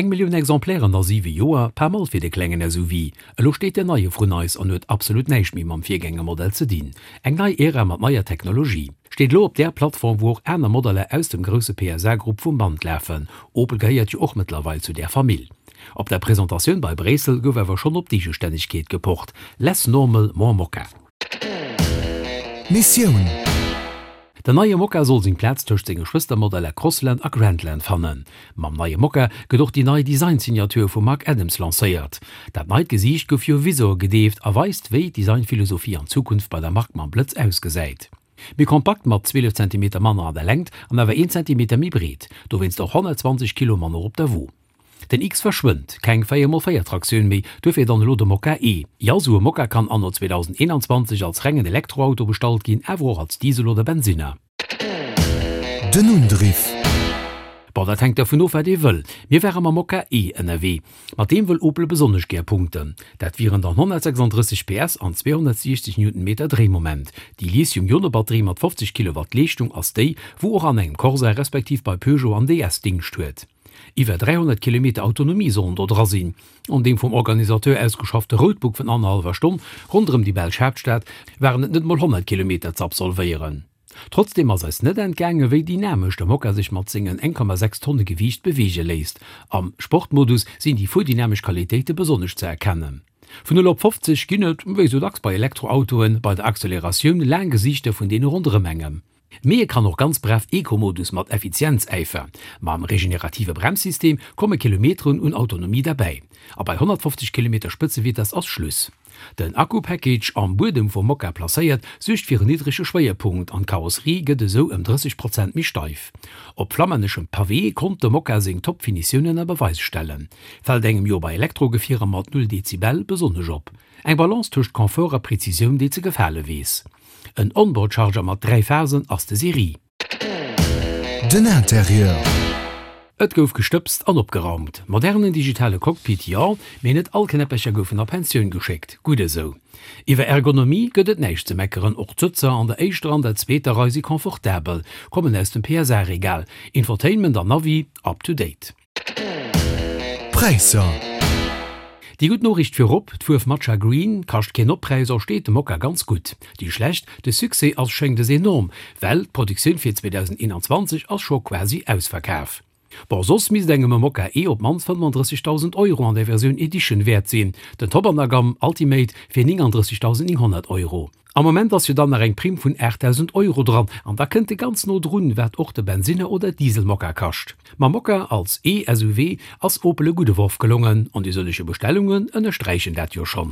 Eng Millioun Exemplairen a siwe Joer, pas mal fir de klengen SUV. Elo steet den neie vrun eis an huet absolut näischt méi mam Virgängermodell ze dinn. Eng nei Ära mat neier Technologie. Steet elo op där Plattform, wou och aner Modeller aus dem grousse PSA-Grupp vum Band lafen. Opel gehéiert jo och mëttlerweil zu där Famill. Op der Presentatioun bei Bréissel gouf awer schonn op d'Eegestännegkeet gepocht, Less normal, more Mokka. Missioun. Den neie Mokka soll seng Plaz tëscht senge Schwëstermodeller Crossland a Grandland fannen. Mam neie Mokka gëtt och déi nei Design-Signature vum Mark Adams lancéiert. Dat neit Gesiicht gouf jo Vizor gedeeft a weist, wéi d'Designphilosophie an Zukunft bei der Mark mam Blëtz ausgesäit. Méi kompakt mat 12 Zentimeter manner an der Längt an awer een Zentimeter méi breet, dowéinst och 120 Kilo manner op der Wo. Den X verschwënnt, keng 4 mol 4 Traktioun méi, duerfir dann elo de Mokka E. Jo, sou e Mokka kann anno 2021 als rengen Elektroauto bestallt ginn, awer och als Diesel oder Bensinner. Den Undriff. Bon, dat hänkt dervun of, wat ee wëll. Mir ware mam Mokka E ënnerwee. Mat deem wëll Opel besonnesch gär punkten. Dat wieren dann 136 PS an 260 Newtonmeter Dréimoment. Déi Lithium-Ione-Batterie mat 50 Kilowatt Leeschtung ass déi, wou och an engem Corsa respektiv bei Peugeot an DS Dingscht huet. Iwwer 300 Kilometer Autonomie sollen do dra sinn. An deem vum Organisateur ausgeschaffte Roadbook vun annerhallwer Stonn ronderëm déi belsch Haaptstad waren et net mol 100 Kilometer ze absolvéieren. Trotzdeem ass eis net entgaangen, wéi dynamesch de Mokka sech mat sengen 1,6 Tonne Gewiicht beweege léisst. Am Sportmodus sinn déi fuerdynamisch Qualitéite besonnesch ze erkennen. Vun 0 op 50 ginn et, wéi sou dacks bei Elektroautoen, bei der Acceleratioun laang Gesiichter vun deene ronderëm engem. Mee e kann och ganz brav Eco-Modus mat Effizienzäifer. Mam regenerative Bremssystem komme Kilometeren un Autonomie derbäi. A bei 150 Kilometer Spëtzevitess ass Schluss. Den Akku-Package, am Buedem vum Mokka placéiert, suergt fir en niddrege Schwéierpunkt an d'Karosserie gëtt esou ëm 30 Prozent méi steif. Op flammänneschem Pavé konnt de Mokka seng Top-Finitioun ënner Beweis stellen. Fält engem jo bei Elektrogefierer mat 0 Dezibel besonnesch op. Eng Balance tëscht Confort a Prezisioun, déi ze gefale weess. En Onboard-Charger mat 3 Phasen ass de Serie. Den Interieur. Et gouf gestëbst an opgeraumt. Modernen digitale Cockpit, jo, mee net all Knäppercher goufen a Pensioun geschéckt. Gutt esou. Iwwer Ergonomie gëtt et näischt ze meckeren, och d'Sëtzer an der éischter an der zweeter Rei si confortabel, kommen aus dem PSA-Regal. Infotainment an Navi up to date. Präisser. Déi gutt Noriicht virop, d'Fuerf Matcha Green kascht keen Oppräis a steet dem Mokka ganz gutt. Déi schlecht, de Succès ass schéngt es enorm, well d'Produktioun fir 2021 ass scho quasi ausverkaf. Bon, soss misst engem e Mokka E op d'mannst 35.000 Euro an der Versioun Edition wäert sinn, den Top an der Gamm Ultimate fir 39.900 Euro. Am Moment ass jo dann nach eng Primm vun 8.000 Euro dran an da kënnt e ganz no drun, wat och de Bensinner oder Diesel-Mokka kascht. Mam Mokka als E-SUV ass Opel e gudde Worf gelongen an déi sëllege Bestellungen ënnersträichen dat jo schonn.